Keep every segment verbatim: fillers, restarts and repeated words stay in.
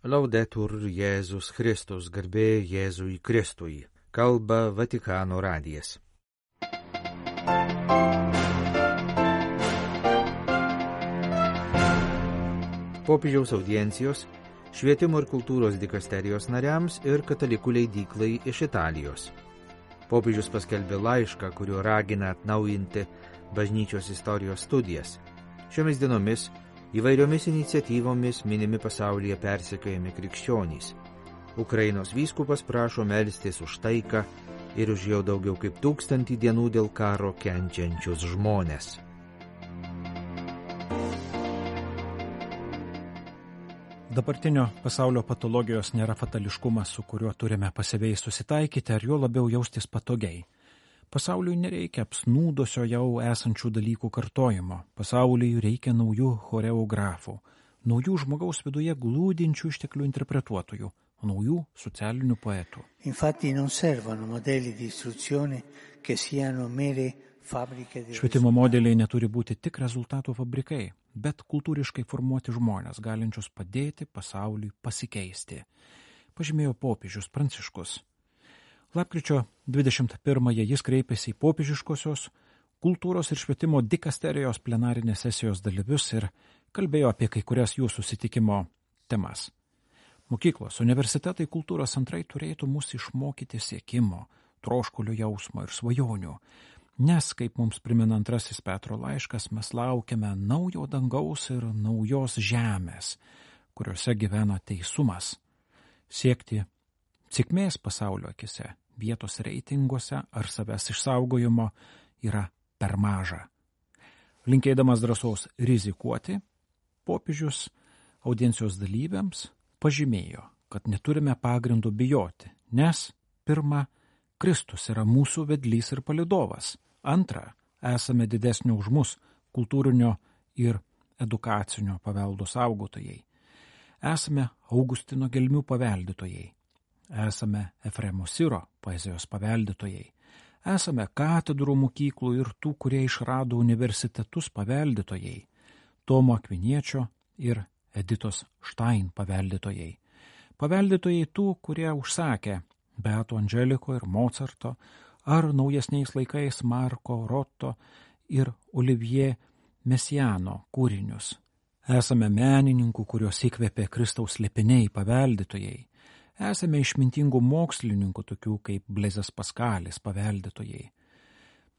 Laudetur Jėzus Kristus, garbė Jėzui Kristui, kalba Vatikano radijas. Popiežiaus audiencijos švietimo ir kultūros dikasterijos nariams ir katalikų leidyklai iš Italijos. Popiežius paskelbė laišką, kuriuo ragina atnaujinti bažnyčios istorijos studijas. Šiomis dienomis įvairiomis iniciatyvomis minimi pasaulyje persekiojami krikščionys. Ukrainos vyskupas prašo melstis už taiką ir už jau daugiau kaip tūkstantį dienų dėl karo kenčiančius žmones. Dabartinio pasaulio patologijos nėra fatališkumas, su kuriuo turime pasyviai susitaikyti ar jo labiau jaustis patogiai. Pasauliui nereikia apsnūdusio jau esančių dalykų kartojimo. Pasauliui reikia naujų choreografų, naujų žmogaus viduje glūdinčių išteklių interpretuotojų, naujų socialinių poetų. Infatti non servono modelli di istruzione che siano mere fabbriche di Švietimo modeliai neturi būti tik rezultatų fabrikai, bet kultūriškai formuoti žmonės, galinčius padėti pasauliui pasikeisti, pažymėjo popiežius Pranciškus. Lapkričio dvidešimt pirmąją jis kreipėsi į popiežiškosios kultūros ir švietimo dikasterijos plenarinės sesijos dalyvius ir kalbėjo apie kai kurias jų susitikimo temas. Mokyklos, universitetai, kultūros centrai turėtų mus išmokyti siekimo, troškulio jausmo ir svajonių, nes, kaip mums primena antrasis Petro laiškas, mes laukiame naujo dangaus ir naujos žemės, kuriuose gyvena teisumas. Siekti sėkmės pasaulio akise, vietos reitinguose ar savęs išsaugojimo yra per maža. Linkėdamas drąsos rizikuoti, popiežius audiencijos dalyviams pažymėjo, kad neturime pagrindų bijoti, nes pirma, Kristus yra mūsų vedlys ir palydovas, antra, esame didesnio už mus kultūrinio ir edukacinio paveldo saugotojai, esame Augustino gelmių paveldėtojai, esame Efremo Siro poezijos paveldėtojai, esame katedrų mokyklų ir tų, kurie išrado universitetus paveldėtojai, Tomo Akviniečio ir Editos Štain paveldėtojai, paveldėtojai tų, kurie užsakė Beato Andželiko ir Mozarto, ar naujesniais laikais Marko Rotto ir Olivier Messiano kūrinius. Esame menininkų, kurios įkvėpė Kristaus slėpiniai paveldėtojai, esame išmintingų mokslininkų, tokių kaip Blezas Paskalis paveldėtojai,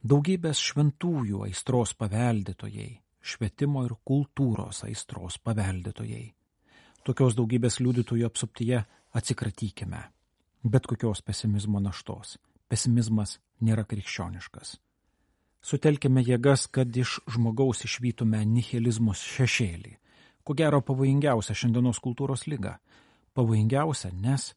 daugybės šventųjų aistros paveldėtojai, švietimo ir kultūros aistros paveldėtojai. Tokios daugybės liudytojų apsuptyje atsikratykime. Bet kokios pesimizmo naštos. Pesimizmas nėra krikščioniškas. Sutelkime jėgas, kad iš žmogaus išvytume nihilizmus šešėlį. Ko gero pavojingiausia šiandienos kultūros liga. Pavojingiausia, nes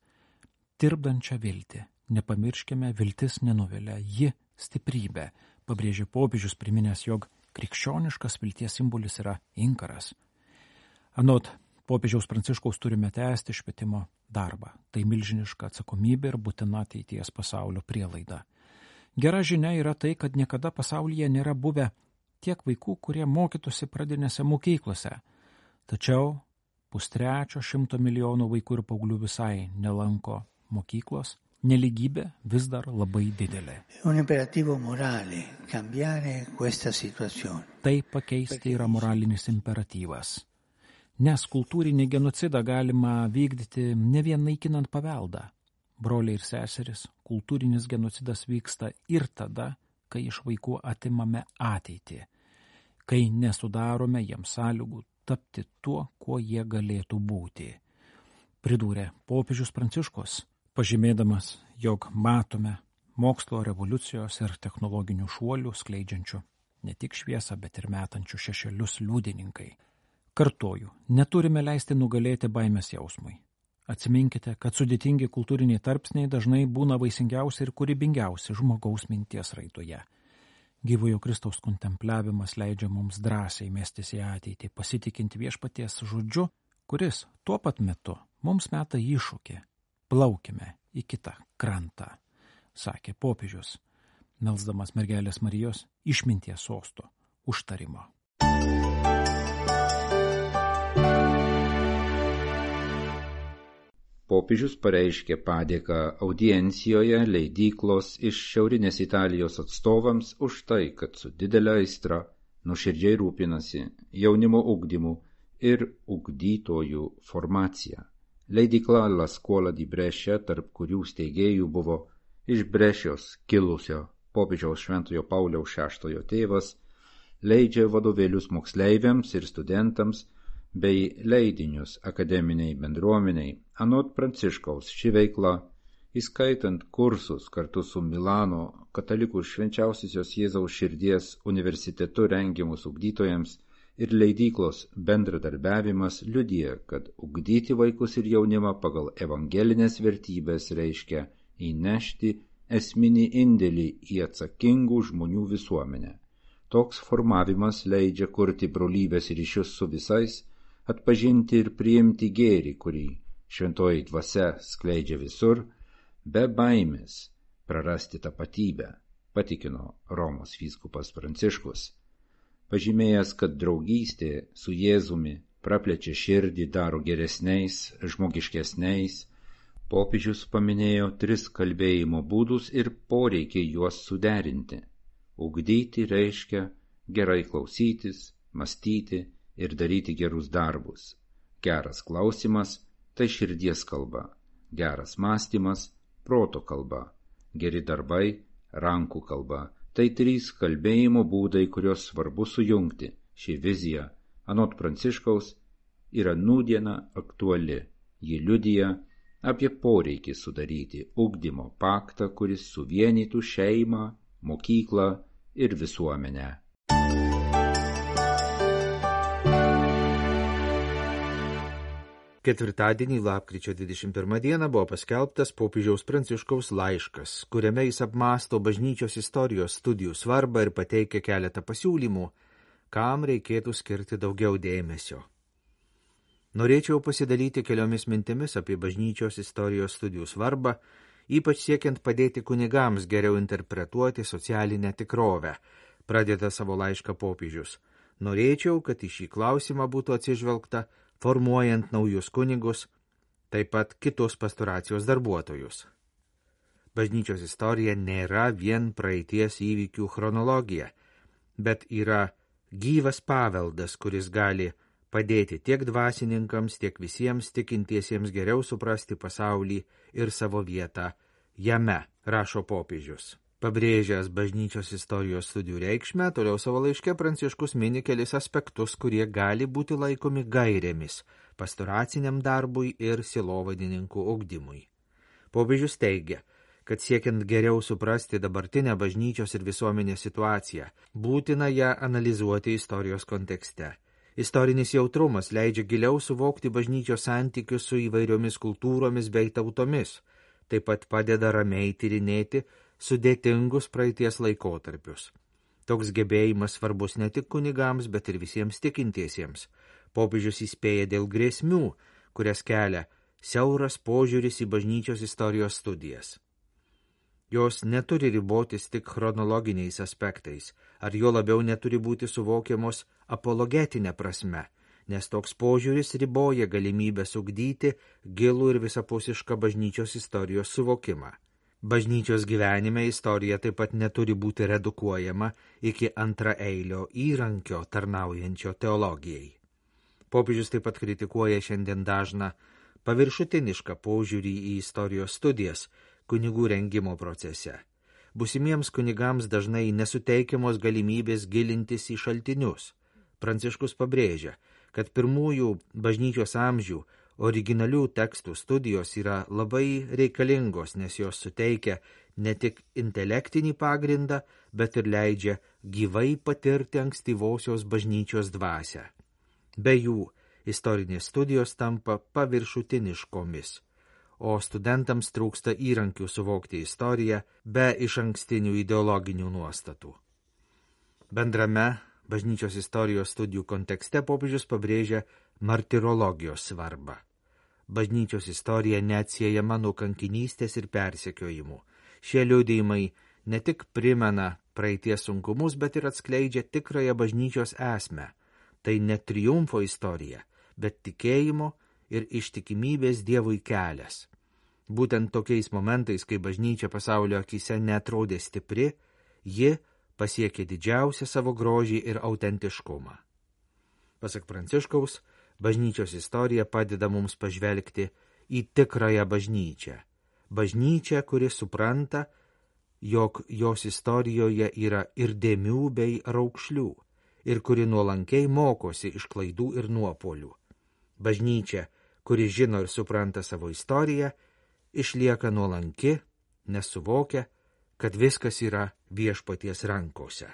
tirpdančią viltį. Nepamirškime, viltis nenuvilia, ji stiprybė, pabrėžė popiežius priminęs, jog krikščioniškas vilties simbolis yra inkaras. Anot popiežiaus Pranciškaus turime tęsti švietimo darbą. Tai milžiniška atsakomybė ir būtina ateities pasaulio prielaida. Gera žinia yra tai, kad niekada pasaulyje nėra buvę tiek vaikų, kurie mokytųsi pradinėse mokyklose. Tačiau pustrečio šimto milijonų vaikų ir paauglių visai nelanko mokyklos, neligybė vis dar labai didelė. Tai pakeisti yra moralinis imperatyvas. Nes kultūrinį genocidą galima vykdyti ne vien naikinant paveldą. Broliai ir seseris, kultūrinis genocidas vyksta ir tada, kai iš vaikų atimame ateitį, kai nesudarome jiems sąlygų tapti tuo, kuo jie galėtų būti. Pridūrė popiežius Pranciškus, pažymėdamas, jog matome mokslo revoliucijos ir technologinių šuolių skleidžiančių ne tik šviesą, bet ir metančių šešėlius liudininkai. Kartoju, neturime leisti nugalėti baimės jausmui. Atsiminkite, kad sudėtingi kultūriniai tarpsniai dažnai būna vaisingiausi ir kūrybingiausi žmogaus minties raidoje. Gyvojo Kristaus kontempliavimas leidžia mums drąsiai mestis į ateitį, pasitikinti viešpaties žodžiu, kuris tuo pat metu mums meta iššūkį. Plaukime į kitą krantą, sakė popiežius, melsdamas mergelės Marijos išminties sosto užtarimo. Popiežius pareiškė padėką audiencijoje leidyklos iš Šiaurinės Italijos atstovams už tai, kad su didelė aistra nuoširdžiai rūpinasi jaunimo ugdymu ir ugdytojų formacija. Leidykla La Scuola di Brescia, tarp kurių steigėjų buvo iš Brešios kilusio popiežiaus Šventojo Pauliaus šeštojo tėvas, leidžia vadovėlius moksleiviams ir studentams bei leidinius akademiniai bendruomeniai. Anot Pranciškaus ši veikla, įskaitant kursus kartu su Milano katalikų švenčiausiosios Jėzaus širdies universitetu rengiamus ugdytojams ir leidyklos bendradarbiavimas liudija, kad ugdyti vaikus ir jaunimą pagal evangelinės vertybės reiškia įnešti esminį indėlį į atsakingų žmonių visuomenę. Toks formavimas leidžia kurti brolybės ryšius su visais, atpažinti ir priimti gėrį, kurį šventoji dvasia skleidžia visur, be baimės prarasti tapatybę, patikino Romos vyskupas Pranciškus. Pažymėjęs, kad draugystė su Jėzumi praplečia širdį, daro geresniais, žmogiškesniais, popiežius paminėjo tris kalbėjimo būdus ir poreikį juos suderinti. Ugdyti reiškia gerai klausytis, mąstyti ir daryti gerus darbus. Geras klausimas – tai širdies kalba, geras mąstymas – proto kalba, geri darbai – rankų kalba. Tai trys kalbėjimo būdai, kurios svarbu sujungti. Ši vizija, anot Pranciškaus, yra nūdiena aktuali. Ji liudija apie poreikį sudaryti ugdymo paktą, kuris suvienytų šeimą, mokyklą ir visuomenę. Ketvirtadienį, lapkričio dvidešimt pirmą dieną, buvo paskelbtas popiežiaus Pranciškaus laiškas, kuriame jis apmąsto bažnyčios istorijos studijų svarbą ir pateikia keletą pasiūlymų, kam reikėtų skirti daugiau dėmesio. Norėčiau pasidalyti keliomis mintimis apie bažnyčios istorijos studijų svarbą, ypač siekiant padėti kunigams geriau interpretuoti socialinę tikrovę, pradeda savo laišką popiežius. Norėčiau, kad į šį klausimą būtų atsižvelgta formuojant naujus kunigus, taip pat kitus pastoracijos darbuotojus. Bažnyčios istorija nėra vien praeities įvykių chronologija, bet yra gyvas paveldas, kuris gali padėti tiek dvasininkams, tiek visiems tikintiesiems geriau suprasti pasaulį ir savo vietą jame, rašo popiežius. Pabrėžęs bažnyčios istorijos studijų reikšmę, toliau savo laiške Pranciškus mini kelis aspektus, kurie gali būti laikomi gairėmis pastoraciniam darbui ir sielovadininkų ugdymui. Popiežius teigia, kad siekiant geriau suprasti dabartinę bažnyčios ir visuomenės situaciją, būtina ją analizuoti istorijos kontekste. Istorinis jautrumas leidžia giliau suvokti bažnyčios santykius su įvairiomis kultūromis bei tautomis, taip pat padeda ramiai tyrinėti sudėtingus praeities laikotarpius. Toks gebėjimas svarbus ne tik kunigams, bet ir visiems tikintiesiems. Popiežius įspėja dėl grėsmių, kurias kelia siauras požiūris į bažnyčios istorijos studijas. Jos neturi ribotis tik chronologiniais aspektais, ar jo labiau neturi būti suvokiamos apologetinė prasme, nes toks požiūris riboja galimybę ugdyti gilų ir visapusišką bažnyčios istorijos suvokimą. Bažnyčios gyvenime istorija taip pat neturi būti redukuojama iki antraeilio įrankio tarnaujančio teologijai. Popiežius taip pat kritikuoja šiandien dažną paviršutinišką požiūrį į istorijos studijas kunigų rengimo procese. Būsimiems kunigams dažnai nesuteikiamos galimybės gilintis į šaltinius. Pranciškus pabrėžia, kad pirmųjų bažnyčios amžių originalių tekstų studijos yra labai reikalingos, nes jos suteikia ne tik intelektinį pagrindą, bet ir leidžia gyvai patirti ankstyvosios bažnyčios dvasią. Be jų istorinės studijos tampa paviršutiniškomis, o studentams trūksta įrankių suvokti istoriją be išankstinių ideologinių nuostatų. Bendrame bažnyčios istorijos studijų kontekste popiežius pabrėžia martirologijos svarbą. Bažnyčios istorija neatsiejama nuo kankinystės ir persekiojimų. Šie liudijimai ne tik primena praeities sunkumus, bet ir atskleidžia tikrąją bažnyčios esmę. Tai ne triumfo istorija, bet tikėjimo ir ištikimybės Dievui kelias. Būtent tokiais momentais, kai bažnyčia pasaulio akise netrodė stipri, ji pasiekė didžiausią savo grožį ir autentiškumą. Pasak Pranciškaus, bažnyčios istorija padeda mums pažvelgti į tikrąją bažnyčią. Bažnyčią, kuri supranta, jog jos istorijoje yra ir dėmių bei raukšlių, ir kuri nuolankiai mokosi iš klaidų ir nuopuolių. Bažnyčia, kuri žino ir supranta savo istoriją, išlieka nuolanki, nes suvokia, kad viskas yra Viešpaties rankose.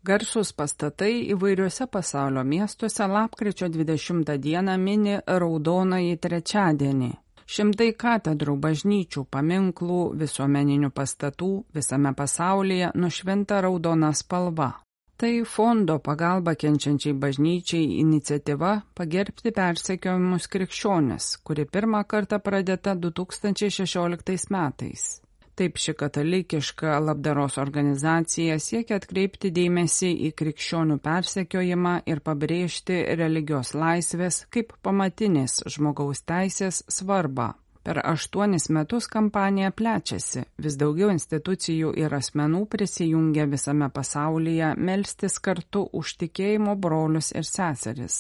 Garsūs pastatai įvairiuose pasaulio miestuose lapkričio dvidešimtą dieną mini Raudonąjį trečiadienį. Šimtai katedrų, bažnyčių, paminklų, visuomeninių pastatų visame pasaulyje nušvinta raudona spalva. Tai fondo pagalba kenčiančiai bažnyčiai iniciatyva pagerbti persekiojamus krikščionis, kuri pirmą kartą pradėta du tūkstančiai šešioliktais metais. Taip ši katalikiška labdaros organizacija siekia atkreipti dėmesį į krikščionių persekiojimą ir pabrėžti religijos laisvės kaip pamatinės žmogaus teisės svarbą. Per aštuonis metus kampanija plečiasi, vis daugiau institucijų ir asmenų prisijungia visame pasaulyje melstis kartu už tikėjimo brolius ir seseris.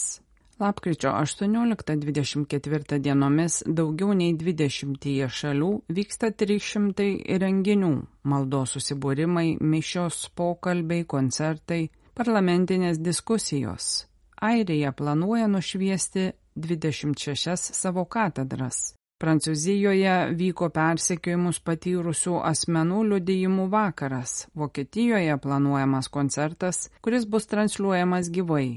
Lapkričio aštuonioliktą dvidešimt ketvirtą dienomis daugiau nei dvidešimtyje šalių vyksta trys šimtai renginių, maldos susibūrimai, mišios, pokalbiai, koncertai, parlamentinės diskusijos. Airija planuoja nušviesti dvidešimt šešias savo katedras. Prancūzijoje vyko persekiojimus patyrusių asmenų liudijimų vakaras. Vokietijoje planuojamas koncertas, kuris bus transliuojamas gyvai.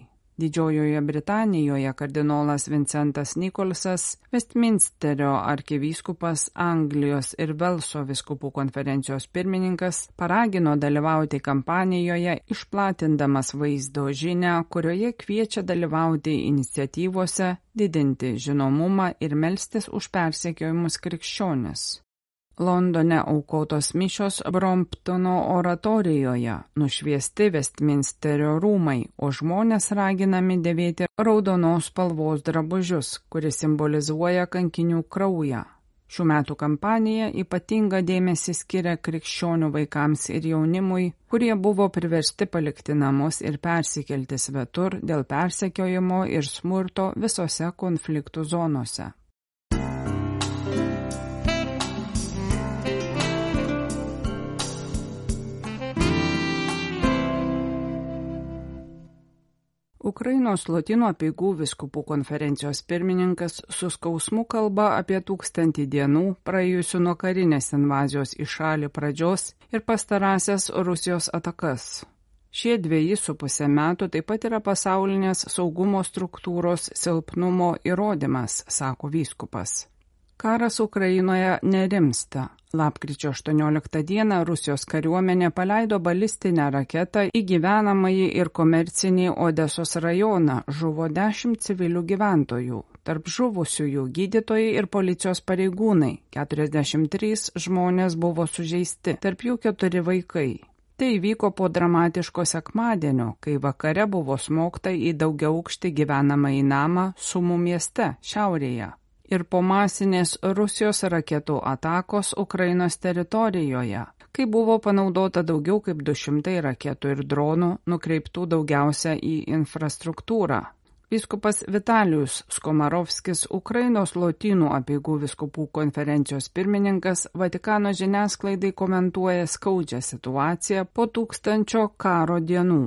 Didžiojoje Britanijoje kardinolas Vincentas Nikolsas, Westminsterio arkivyskupas, Anglijos ir Velso vyskupų konferencijos pirmininkas, paragino dalyvauti kampanijoje, išplatindamas vaizdo žinią, kurioje kviečia dalyvauti iniciatyvose, didinti žinomumą ir melstis už persekiojimus krikščionis. Londone aukotos mišios Bromptono oratorijoje, nušviesti Westminsterio rūmai, o žmonės raginami dėvėti raudonos spalvos drabužius, kuris simbolizuoja kankinių kraują. Šių metų kampanija ypatingą dėmesį skiria krikščionių vaikams ir jaunimui, kurie buvo priversti palikti namus ir persikelti svetur dėl persekiojimo ir smurto visose konfliktų zonose. Ukrainos Lotynų apeigų vyskupų konferencijos pirmininkas su skausmu kalba apie tūkstantį dienų praėjusių nuo karinės invazijos į šalį pradžios ir pastarąsias Rusijos atakas. Šie dveji su pusė metų taip pat yra pasaulinės saugumo struktūros silpnumo įrodymas, sako vyskupas. Karas Ukrainoje nerimsta. Lapkričio aštuonioliktą dieną Rusijos kariuomenė paleido balistinę raketą į gyvenamąjį ir komercinį Odesos rajoną, žuvo dešimt civilių gyventojų. Tarp žuvusiųjų gydytojai ir policijos pareigūnai, keturiasdešimt trys žmonės buvo sužeisti, tarp jų keturi vaikai. Tai įvyko po dramatiško sekmadienio, kai vakare buvo smogta į daugiaaukštį gyvenamąjį namą Sumų mieste, šiaurėje. Ir po masinės Rusijos raketų atakos Ukrainos teritorijoje, kai buvo panaudota daugiau kaip du šimtai raketų ir dronų, nukreiptų daugiausia į infrastruktūrą. Vyskupas Vitalijus Skomarovskis, Ukrainos Lotynų apeigų vyskupų konferencijos pirmininkas, Vatikano žiniasklaidai komentuoja skaudžią situaciją po tūkstančio karo dienų.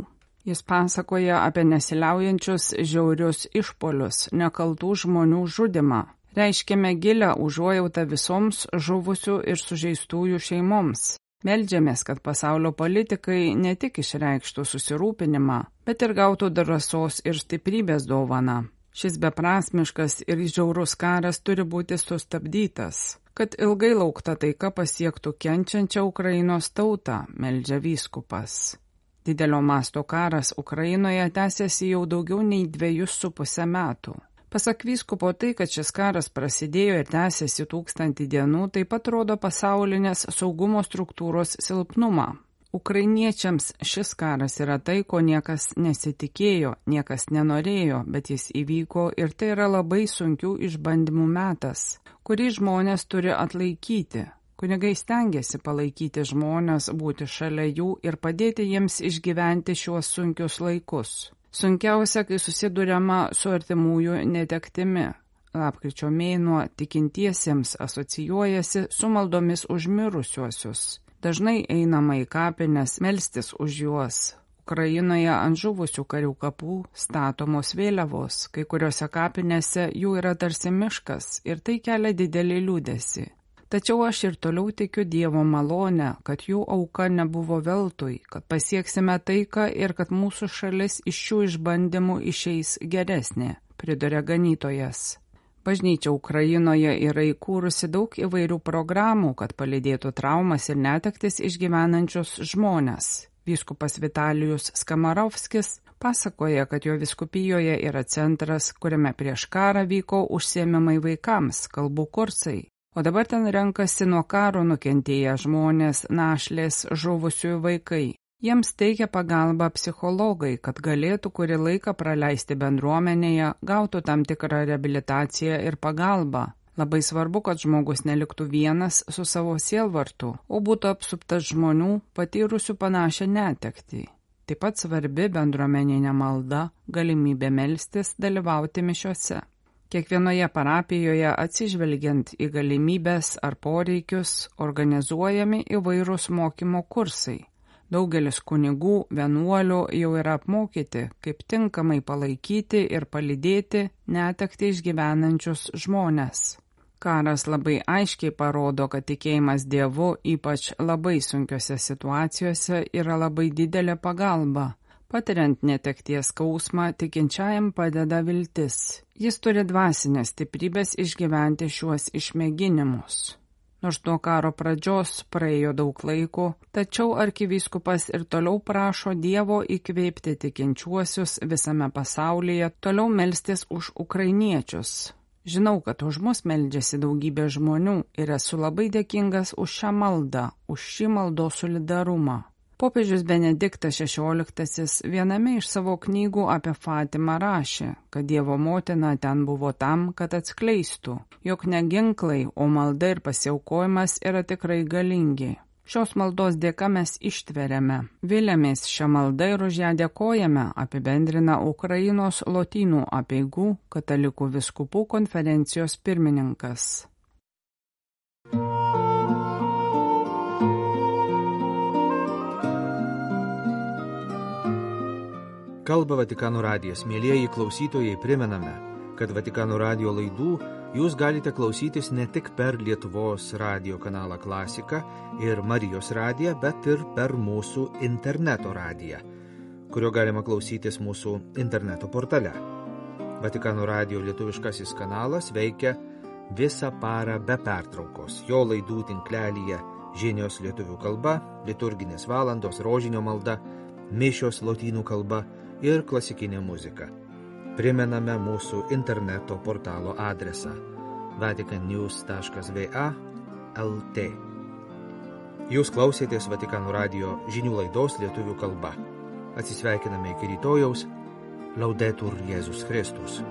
Jis pasakoja apie nesiliaujančius žiaurius išpolius, nekaltų žmonių žudimą. Reiškiame gilią užuojautą visoms žuvusių ir sužeistųjų šeimoms. Meldžiamės, kad pasaulio politikai ne tik išreikštų susirūpinimą, bet ir gautų drąsos ir stiprybės dovaną. Šis beprasmiškas ir žiaurus karas turi būti sustabdytas, kad ilgai laukta taika pasiektų kenčiančią Ukrainos tautą, meldžia vyskupas. Didelio masto karas Ukrainoje tęsiasi jau daugiau nei dviejus su pusę metų. Pasak vyskupo tai, kad šis karas prasidėjo ir tęsiasi tūkstantį dienų, taip pat rodo pasaulinės saugumo struktūros silpnumą. Ukrainiečiams šis karas yra tai, ko niekas nesitikėjo, niekas nenorėjo, bet jis įvyko ir tai yra labai sunkių išbandymų metas, kurį žmonės turi atlaikyti. Kunigai stengiasi palaikyti žmonės, būti šalia jų ir padėti jiems išgyventi šiuos sunkius laikus. Sunkiausia, kai susiduriama su artimųjų netektimi. Lapkričio mėnuo tikintiesiems asocijuojasi su maldomis už mirusiuosius. Dažnai einama į kapines melstis už juos. Ukrainoje ant žuvusių karių kapų statomos vėliavos, kai kuriuose kapinėse jų yra tarsi miškas ir tai kelia didelį liūdesį. Tačiau aš ir toliau tikiu Dievo malonę, kad jų auka nebuvo veltui, kad pasieksime taiką ir kad mūsų šalis iš šių išbandymų išeis geresnė, priduria ganytojas. Bažnyčia Ukrainoje yra įkūrusi daug įvairių programų, kad palydėtų traumas ir netektis išgyvenančius žmones. Vyskupas Vitalijus Skamarovskis pasakoja, kad jo vyskupijoje yra centras, kuriame prieš karą vyko užsiėmimai vaikams, kalbų kursai. O dabar ten renkasi nuo karo nukentėję žmonės, našlės, žuvusiųjų vaikai. Jiems teikia pagalbą psichologai, kad galėtų kurį laiką praleisti bendruomenėje, gautų tam tikrą reabilitaciją ir pagalbą. Labai svarbu, kad žmogus neliktų vienas su savo sielvartu, o būtų apsuptas žmonių, patyrusių panašią netektį. Taip pat svarbi bendruomeninė malda, galimybė melstis, dalyvauti mišiose. Kiekvienoje parapijoje atsižvelgiant į galimybės ar poreikius organizuojami įvairūs mokymo kursai. Daugelis kunigų, vienuolių jau yra apmokyti, kaip tinkamai palaikyti ir palydėti netektį išgyvenančius žmones. Karas labai aiškiai parodo, kad tikėjimas Dievu, ypač labai sunkiose situacijose, yra labai didelė pagalba. Patiriant netekties skausmą, tikinčiajam padeda viltis. Jis turi dvasinės stiprybės išgyventi šiuos išmėginimus. Nors nuo karo pradžios praėjo daug laiko, tačiau arkivyskupas ir toliau prašo Dievo įkvėpti tikinčiuosius visame pasaulyje, toliau melstis už ukrainiečius. Žinau, kad už mus meldžiasi daugybė žmonių ir esu labai dėkingas už šią maldą, už šį maldos solidarumą. Popiežius Benediktas šešioliktasis viename iš savo knygų apie Fatimą rašė, kad Dievo motina ten buvo tam, kad atskleistų, jog ne ginklai, o malda ir pasiaukojimas yra tikrai galingi. Šios maldos dėka mes ištveriame. Viliamės šią maldą ir už ją dėkojame, apibendrina Ukrainos lotynų apeigų katalikų vyskupų konferencijos pirmininkas. Kalba Vatikano radijas. Mielieji klausytojai, primename, kad Vatikano radijo laidų jūs galite klausytis ne tik per Lietuvos radijo kanalą Klasika ir Marijos radiją, bet ir per mūsų interneto radiją, kurio galima klausytis mūsų interneto portale. Vatikano radijo lietuviškasis kanalas veikia visą parą be pertraukos. Jo laidų tinklelyje žinios lietuvių kalba, liturginės valandos, rožinio malda, mišios lotynų kalba ir klasikinė muzika. Primename mūsų interneto portalo adresą vatican news taškas v a taškas l t. Jūs klausėtės Vatikano radijo žinių laidos lietuvių kalba. Atsisveikiname iki rytojaus. Laudetur Jėzus Kristus.